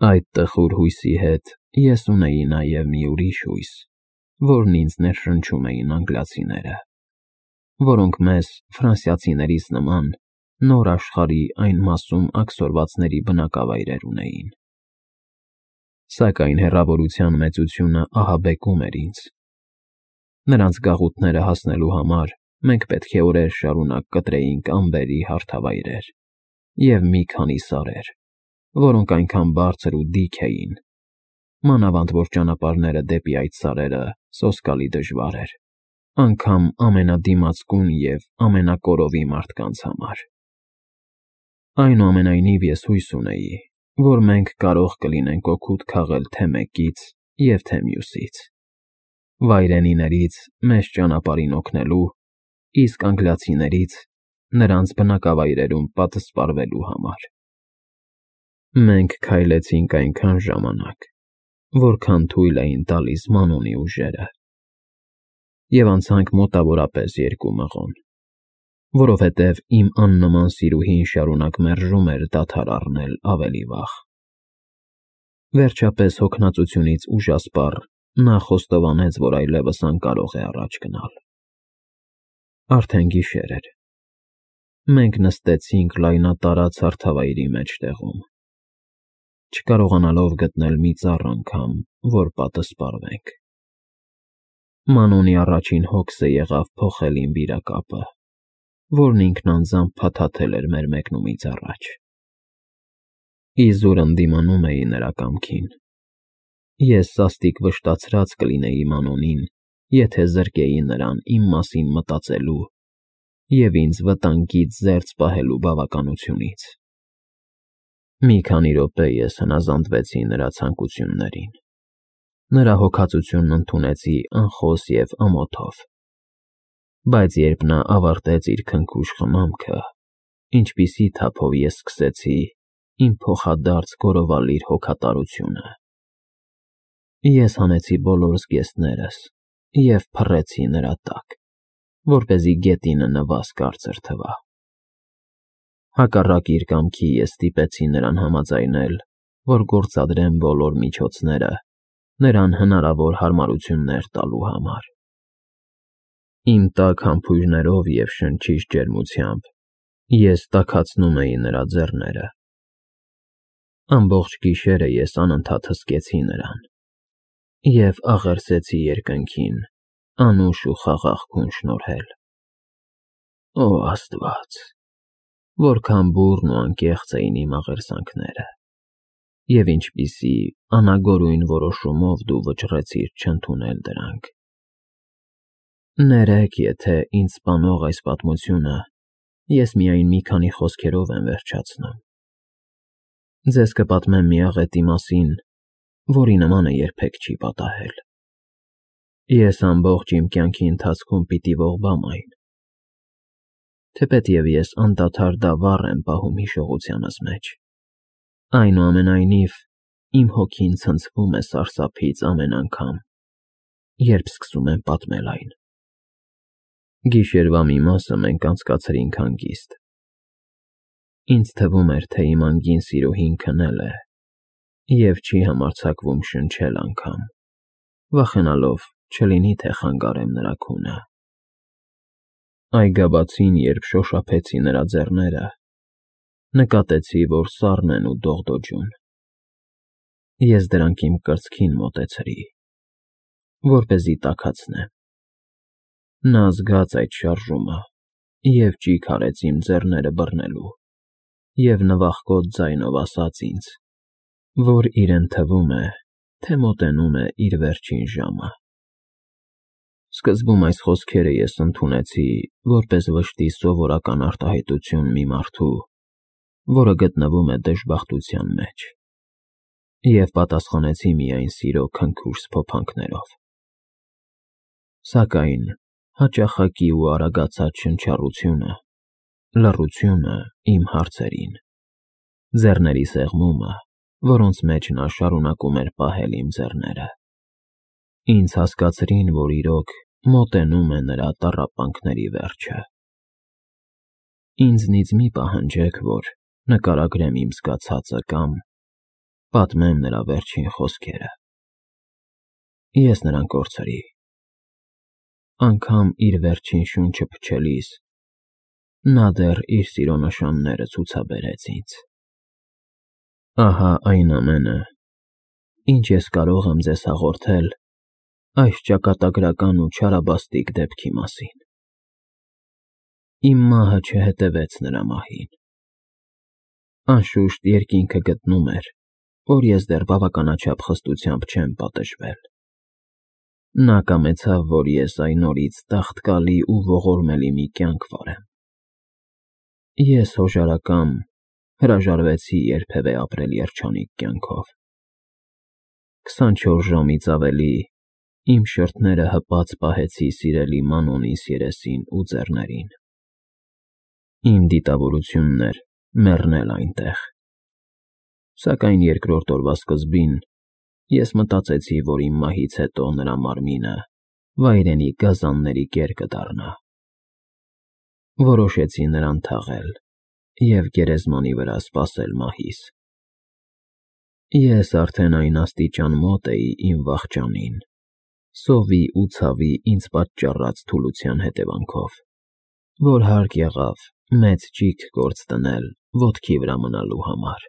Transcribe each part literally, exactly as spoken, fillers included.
Այդ տխուր հույսի հետ ես ունեի նաև մի ուրիշ հույս, որն ինձ ներշնչում էին անգլիացիները, որոնք մեզ, ֆրանսիացիներիս նման, նոր աշխարհի այն մասում աքսորվածների բնակավայրեր ունեին։ Սակայն հեռավորության մեծությունը ահաբեկում էր ինձ։ Նրանց գաղութները հասնելու համար մենք պետք է օրեր շարունակ կտրեինք ամբերի հարթավայրեր և մի քանի սարեր, որոնք այնքան բարձր ու դիք էին, մանավանդ որ ճանապարհները դեպի այդ սարերը սոսկալի դժվար էր, անգամ ամենադիմացկուն և ամենակորովի մարդկանց համար։ Այնուամենայնիվ ես հույս ունեի, որ մենք կարող կլինենք օգուտ քաղել թե մեկից և թե մյուսից, վայրենիներից մեզ ճանապարհին օգնելու, իսկ անգլիացիներից նրանց բնակավայրերում պատսպարվելու համար։ Մենք քայլեցինք այնքան ժամանակ, որքան թույլ էին տալիս Մանոնի ուժերը, և անցանք մոտավորապես երկու մղոն, որովհետև իմ աննման սիրուհին շարունակ մերժում էր դադար առնել ավելի վաղ։ Վերջապես հոգնածությունից ուժասպառ նա խոստովանեց, որ այլևս անկարող է առաջ գնալ։ Արդեն գիշեր էր։ Մենք նստեցինք լայնատարած հարթավայրի մեջտեղում, չկարողանալով գտնել մի ծառ անգամ, որ պատսպարվենք։ Մանոնի առաջին հոգսը եղավ փոխել իմ վիրակապը, որն ինքն անձամբ փաթաթել էր մեր մեկնումից առաջ։ Իզուր ընդդիմանում էի նրա կամքին։ Ես սաստիկ վշտացած կլինեի Մանոնին, եթե զրկեի նրան իմ մասին մտածելու և ինձ վտանգից զերծ պահելու բավականությունից։ Մի քանի րոպե ես հնազանդվեցի նրա ցանկություններին, նրա հոգածությունն ընդունեցի անխոս և ամոթով, բայց երբ նա ավարտեց իր քնքուշ խմամքը, ինչպիսի թափով ես սկսեցի իմ փոխադարձ գովալիր հոգատարությունը։ Ես հանեցի բոլոր զգեստներս և փռեցի նրա տակ, որպեսզի գետինը նվազ կարծր թվա։ Հակառակ իր կամքի ես ստիպեցի նրան համաձայնել, որ գործադրեմ բոլոր միջոցները նրան հնարավոր հարմարություններ տալու համար։ Իմ տաք համբույրներով և շնչիչ ջերմությամբ ես տաքացնում էի նրա ձեռները։ Ամբողջ գիշերը ես անընդհատ հսկեցի նրան և աղերսեցի երկնքին անուշ ու խաղաղ քուն շնորհել։ Օ Աստված, որքան բուռն ու անկեղծ էին իմ աղերսանքները, և ինչպիսի անագորույն որոշումով դու վճռեցիր չընդունել դրանք։ Ներեք, եթե ինձ սպանող այս պատմությունը ես միայն մի քանի խոսքերով եմ վերջացնում։ Ձեզ կպատմեմ մի աղետի մասին, որի նմանը երբեք չի պատահել։ Ես ամբողջ իմ կյանքի ընթացքում պիտի ողբամ այն, թեպետև ես անդադար դա վառ եմ պահում հիշողությանս մեջ, այնուամենայնիվ իմ հոգին ցնցվում է սարսափից ամեն անգամ, երբ սկսում եմ պատմել այն։ Գիշերվա մի մասը մենք անցկացրինք հանգիստ։ Ինձ թվում էր, թե իմ անգին սիրուհին քնել է և չի համարձակվում շնչել անգամ, վախենալով չլինի թե խանգարեմ նրա քունը։ Այգաբացին, երբ շոշափեցի նրա ձեռները, նկատեցի, որ սառն են ու դողդոջուն։ Ես դրանք իմ կրծքին մոտեցրի, որպեսզի տաքացնեմ։ Նա զգաց այդ շարժումը և ճիգ արեց իմ ձեռները բռնելու և նվախկոտ ձայնով ասաց ինձ, որ իրեն թվում է, թե մոտենում է իր վերջին ժամը։ Սկզբում այս խոսքերը ես ընդունեցի որպես վշտի սովորական արտահայտություն մի մարդու, որը գտնվում է դժբախտության մեջ, և պատասխանեցի միայն սիրո քնքուշ սփոփանքներով։ Սակայն հաճախակի ու արագացած շնչառությունը, լռությունը իմ հարցերին, ձեռների սեղմումը, որոնց մեջ նա շարունակում էր պահել իմ ձեռները, ինձ հասկացրին, որ իրոք մոտենում է նրա տառապանքների վերջը։ Ինձնից մի պահանջեք, որ նկարագրեմ իմ զգացածը կամ պատմեմ նրա վերջին խոսքերը։ Ես նրան կորցրի։ Անգամ իր վերջին շունչը փչելիս նա դեռ իր սիրո նշանները ցուցաբերեց ինձ։ Ահա այն ամենը, ինչ ես կարող եմ ձեզ հաղորդել այս ճակատագրական ու չարաբաստիկ դեպքի մասին։ Իմ մահը չհետևեց նրա մահին։ Անշուշտ երկինքը գտնում էր, որ ես դեռ բավականաչափ խստությամբ չեմ պատժվել։ Նա կամեցավ, որ ես այն օրից տաղտկալի ու ողորմելի մի կյանք վարեմ։ Ես հոժարակամ հրաժարվեցի երբևէ ապրել երջանիկ կյանքով։ քսանչորս ժամից ավելի իմ շրթները հպած պահեցի սիրելի Մանոնիս երեսին ու ձեռներին։ Իմ դիտավորությունն էր մեռնել այնտեղ։ Սակայն երկրորդ օրվա սկզբին ես մտածեցի, որ իմ մահից հետո նրա մարմինը վայրենի գազանների կեր կդառնա։ Որոշեցի նրան թաղել և գերեզմանի վրա սպասել մահիս։ Ես արդեն այն աստիճան մոտ էի իմ վախճանին, սովի ու ցավի ինձ պատճառած թուլության հետևանքով, որ հարկ եղավ մեծ ճիգ գործ դնել ոտքի վրա մնալու համար։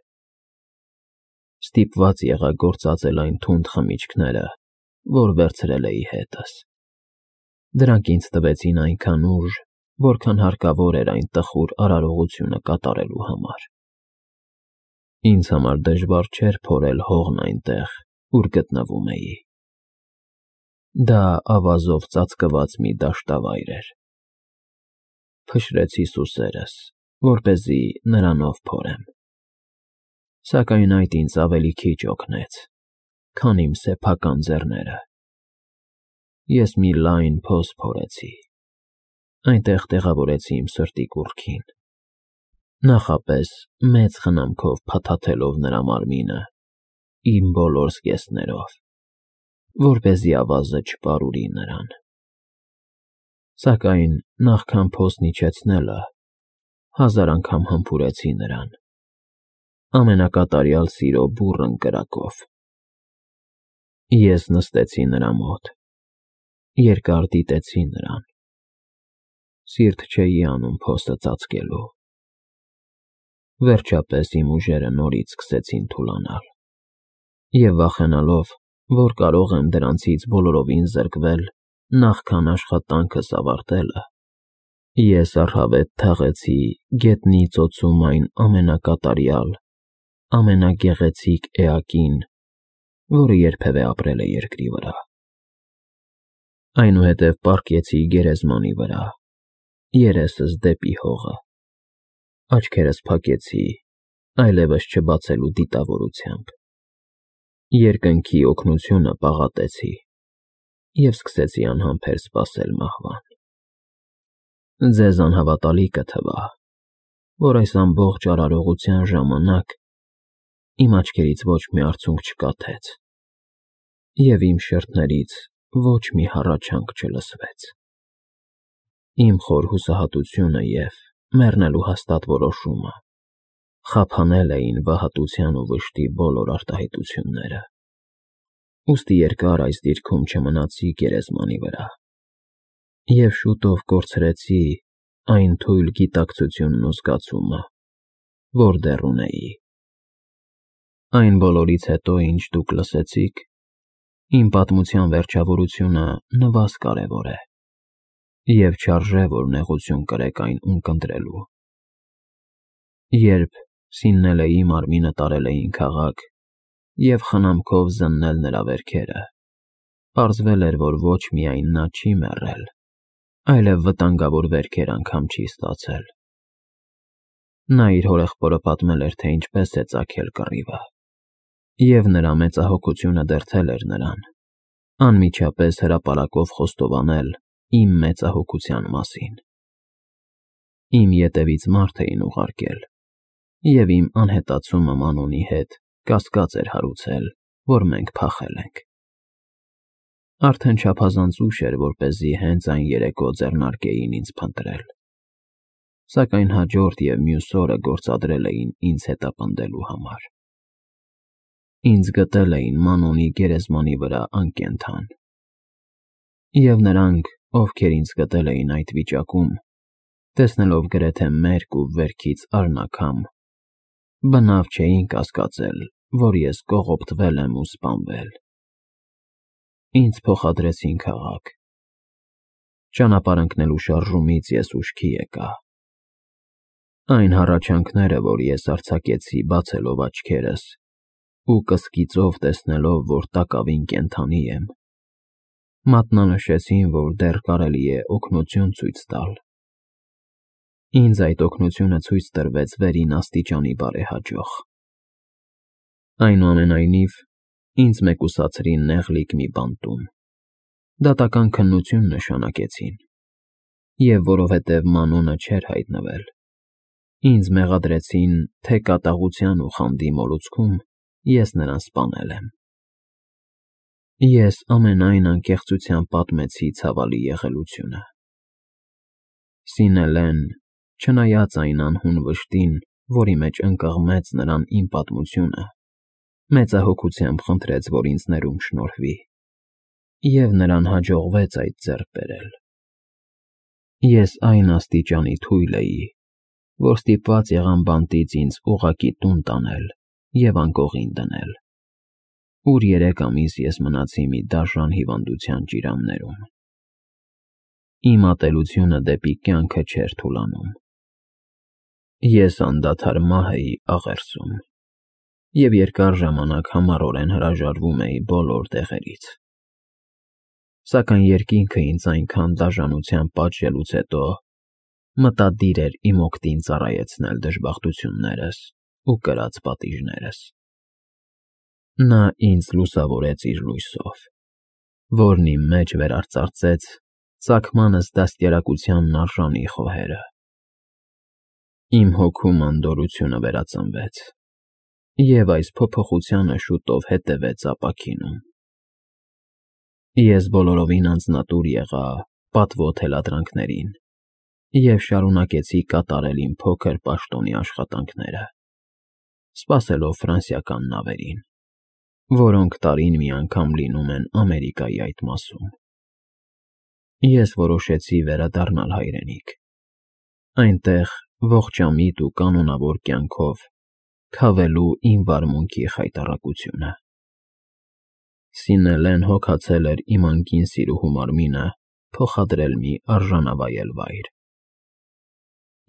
Ստիպված եղա գործածել այն թունդ խմիչքները, որ վերցրել էի հետս։ Դրանք ինձ տվեցին այնքան ուժ, որքան հարկավոր էր այն տխուր արարողությունը կատարելու համար։ Ինձ համար դժվար չէր փորել հողն այնտեղ, ուր գտնվում էի։ Դա ավազով ծածկված մի դաշտավայր էր։ Փշրեցի սուսերս, որպեսզի նրանով փորեմ։ Սակայն այդ ինձ ավելի քիչ օգնեց, քան իմ սեփական ձեռները։ Ես մի լայն փոս փորեցի։ Այնտեղ տեղավորեցի իմ սրտի կուռքին, նախապես մեծ խնամքով փաթաթելով նրա մարմինը իմ բոլոր զգեստներով, որպեսզի ավազը չպարուրի նրան։ Սակայն նախքան փոսն իջեցնելը, հազար անգամ համբուրեցի նրան, ամենակատարյալ սիրո բուռն կրակով։ Ես նստեցի նրա մոտ, երկար դիտեցի նրան։ Սիրտ չէի անում փոսը ծածկելու։ Վերջապես իմ ուժերը նորից սկսեցին թուլանալ, և վախենալով, որ կարող եմ դրանցից բոլորովին զրկվել նախքան աշխատանքս ավարտելը, ես առհավետ թաղեցի գետնի ծոցում այն ամենակատարյալ, ամենագեղեցիկ էակին, որը երբևէ ապրել է երկրի վրա։ Այնուհետև պառկեցի գերեզմանի վրա, երեսս դեպի հողը, աչքերս փակեցի այլևս չբացելու դիտավորությամբ, երկնքի օգնությունը պաղատեցի և սկսեցի անհամբեր սպասել մահվան։ Ձեզ անհավատալի կթվա, որ այս ամբողջ արարողության ժամանակ իմ աչքերից ոչ մի արցունք չկաթեց, և իմ շրթներից ոչ մի հառաչանք չլսվեց։ Իմ խոր հուսահատությունը և մեռնելու հաստատ որոշումը խափանել էին վհատության ու վշտի բոլոր արտահայտությունները, ուստի երկար այս դիրքում չմնացի գերեզմանի վրա, և շուտով կորցրեցի այն թույլ գիտակցությունն ու զգացումը, որ դեռ ունեի։ Այն բոլորից հետո, ինչ դուք լսեցիք, իմ պատմության վերջավորությունը նվազ կարևոր է, և չարժե, որ նեղություն կրեք այն ունկնդրելու։ Երբ սիննել էի մարմինը տարել էին քաղաք և խնամքով զննել նրա վերքերը, պարզվել էր, որ ոչ միայն նա չի մեռել, այլև վտանգավոր վերքեր անգամ չի ստացել։ Նա իր հորեղբորը պատմել էր, թե ինչպես է ծագել կռիվը, և նրա մեծահոգությունը դրդել էր նրան անմիջապես հրապարակով խոստովանել իմ մեծահոգության մասին։ Իմ ետևից մարդ էին ուղարկել, և իմ անհետացումը Մանոնի հետ կասկած էր հարուցել, որ մենք փախել ենք։ Արդեն չափազանց ուշ էր, որպեսզի հենց այն երեկո ձեռնարկեին ինձ փնտրել, սակայն հաջորդ և մյուս օրը գործադրել էին ինձ հետապնդելու համար։ Ինձ գտել էին Մանոնի գերեզմանի վրա անկենդան։ Եվ նրանք, ովքեր ինձ գտել էին այդ վիճակում, տեսնելով գրեթե մերկ ու վերքից արնաքամ, բնավ չէին կասկածել, որ ես կողոպտվել եմ ու սպանվել։ Ինձ փոխադրեցին քաղաք։ Ճանապարհ ընկնելու շարժումից ես ուշքի եկա։ Այն հառաչանքները, որ ես արձակեցի բացելով աչքերս ու կսկիծով տեսնելով, որ տակավին կենդանի եմ, մատնանշեցին, որ դեռ կարելի է օգնություն ցույց տալ։ Ինձ այդ օգնությունը ցույց տրվեց վերին աստիճանի բարեհաջող։ Այնուամենայնիվ, ինձ մեկուսացրին նեղլիկ մի բանտում, դատական քննություն նշանակեցին, և որովհետև Մանոնը չէր հայտնվել, ինձ մեղադրեցին, թե կատաղության ու խանդի մոլուցքում ես նրան սպանել եմ։ Ես ամենայն անկեղծությամբ պատմեցի ցավալի եղելությունը։ Սինելեն, չնայած այն անհուն վշտին, որի մեջ ընկղմեց նրան իմ պատմությունը, մեծահոգությամբ խնդրեց, որ ինձ ներում շնորհվի, և նրան հաջողվեց այդ ձեռք բերել։ Ես այն աստիճանի թույլ էի, որ ստիպված եղամ բանտից ինձ ուղղակի տուն տանել և անկողին դնել, ուր երեք ամիս ես մնացի մի դաժան հիվանդության ճիրաններում։ Իմ ատելությունը դեպի կյանքը չէր թուլանում։ Ես անդադար մահ էի աղերսում և երկար ժամանակ համառորեն հրաժարվում էի բոլոր տեղերից։ Սակայն երկինքը ինձ այնքան դաժանությամբ պատժելուց հետո մտադիր էր իմ օգտին ծառայեցնել դժբախտություններս ու կրած պատիժներս։ Նա ինձ լուսավորեց իր լույսով, որն իմ մեջ վերարծարծեց ծագմանս դաստիարակությանն արժանի խոհերը։ Իմ հոգում անդորրությունը վերածնվեց, և այս փոփոխությանը շուտով հետևեց ապաքինում։ Ես բոլորովին անձնատուր եղա պատվո թելադրանքներին և շարունակեցի կատարել իմ փոքր պաշտոնի աշխատանքները, սպասելով ֆրանսիական նավերին, որոնք տարին մի անգամ լինում են Ամերիկայի այդ մասում։ Ես որոշեցի վերադառնալ հայրենիք, այնտեղ ողջամիտ ու կանոնավոր կյանքով քավելու իմ վարմունքի խայտառակությունը։ Սինելեն հոգացել էր իմ անկին սիրուհու մարմինը փոխադրել մի արժանավայել վայր։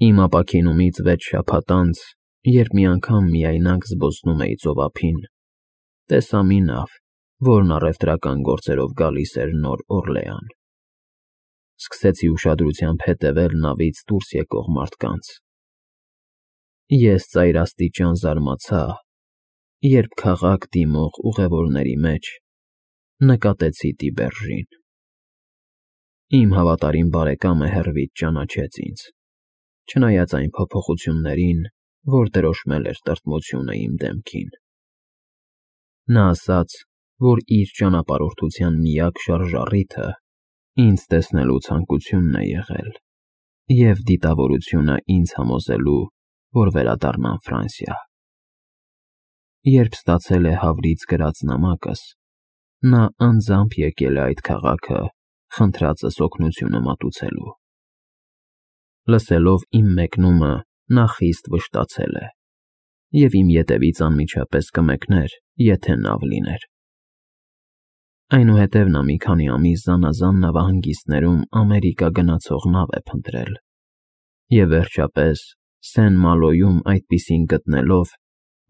Իմ ապաքինումից վեց շաբաթ անց, երբ մի անգամ միայնակ զբոսնում էի ծովափին, տեսա մի նավ, որն առևտրական գործերով գալիս էր Նոր Օրլեան։ Սկսեցի ուշադրությամբ հետևել նավից դուրս եկող մարդկանց։ Ես ծայրաստիճան զարմացա, երբ քաղաք դիմող ուղևորների մեջ նկատեցի Տիբերժին։ Իմ հավատարիմ բարեկամը հեռվից ճանաչեց ինձ, չնայած այն փոփոխություններին, որ դրոշմել էր տրտմությունը իմ դեմքին։ Նա ասաց, որ իր ճանապարհորդության միակ շարժառիթը ինձ տեսնելու ցանկությունն է եղել և դիտավորությունը ինձ համոզելու, որ վերադառնամ Ֆրանսիա։ Երբ ստացել է Հավրից գրած նամակս, նա անձամբ եկել է այդ քաղաքը խնդրածս օգնությունը մատուցելու։ Լսելով իմ մեկնումը, նա խիստ վշտացել է և իմ ետևից անմիջապես կմեկներ, եթե նավ լիներ։ Այնուհետև նա մի քանի ամիս զանազան նավահանգիստներում Ամերիկա գնացող նավ է փնտրել և վերջապես Սեն֊Մալոյում այդպիսին գտնելով,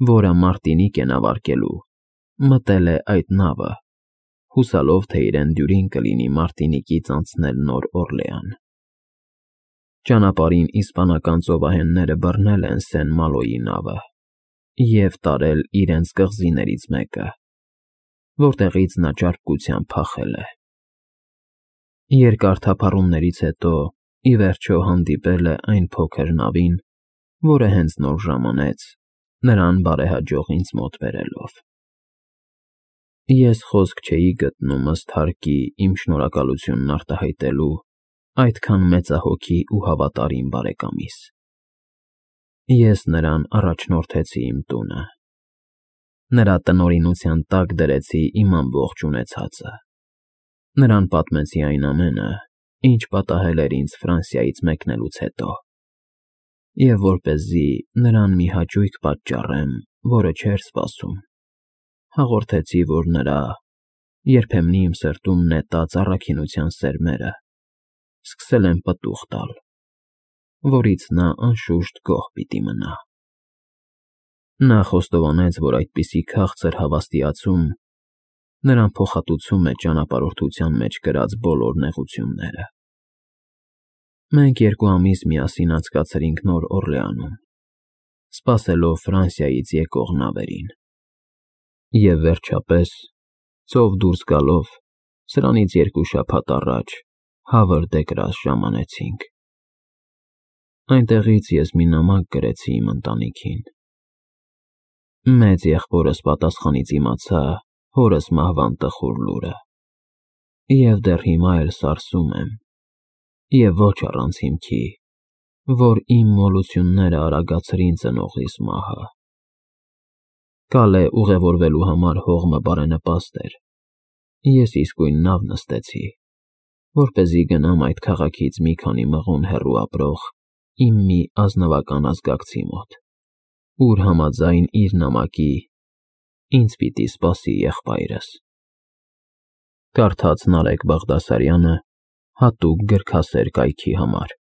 որը Մարտինիկ է նավարկելու, մտել է այդ նավը, հուսալով, թե իրեն դյուրին կլինի Մարտինիկից անցնել Նոր Օրլեան։ Ճանապարհին իսպանական ծովահենները բռնել են Սեն֊Մալոյի նավը և տարել իրենց կղզիներից մեկը, որտեղից նա ճարպկությամբ փախել է։ Երկար թափառումներից հետո, ի վերջո, հանդիպել է այն փոքր նավին, որը հենց նոր ժամանեց, նրան բարեհաջող ինձ մոտ բերելով։ Ես խոսք չէի գտնում ըստ հարկի իմ շնորհակալությունն արտահայտելու այդքան մեծահոգի ու հավատարիմ բարեկամիս։ Ես նրան առաջնորդեցի իմ տունը։ Նրա տնօրինության տակ դրեցի իմ ամբողջ ունեցածը։ Նրան պատմեցի այն ամենը, ինչ պատահել էր ինձ Ֆրանսիայից մեկնելուց հետո, և որպեսզի նրան մի հաճույք պատճառեմ, որը չէր սպասում, հաղորդեցի, որ նրա երբեմնի իմ սրտում նետած առաքինության սերմերը սկսել են պտուղ տալ, որից նա անշուշտ գոհ պիտի մնա։ Նա խոստովանեց, որ այդպիսի քաղցր հավաստիացում նրան փոխհատուցում է ճանապարհորդության մեջ կրած բոլոր նեղությունները։ Մենք երկու ամիս միասին անցկացրինք Նոր Օրլեանում, սպասելով Ֆրանսիայից եկող նավերին։ Եվ վերջապես, ծով դուրս գալով, սրանից երկու շաբաթ առաջ Հավր դե Գրաս ժամանեցինք։ Այնտեղից ես մի նամակ գրեցի իմ ընտանիքին։ Մեծ եղբորս պատասխանից իմացա հորս մահվան տխուր լուրը, և դեռ հիմա էլ սարսում եմ, և ոչ առանց հիմքի, որ իմ մոլությունները արագացրին ծնողիս մահը։ Կալե ուղևորվելու համար հողմը բարենպաստ էր։ Ես իսկույն նավ նստեցի, որպեսզի գնամ այդ քաղաքից մի քանի մղոն հեռու ապրող իմ մի ազնվական ազգակցի մոտ, ուր համաձայն իր նամակի ինձ պիտի սպասի եղբայրս։ Կարդաց Նարեկ Բաղդասարյանը հատուկ գրքասեր կայքի համար։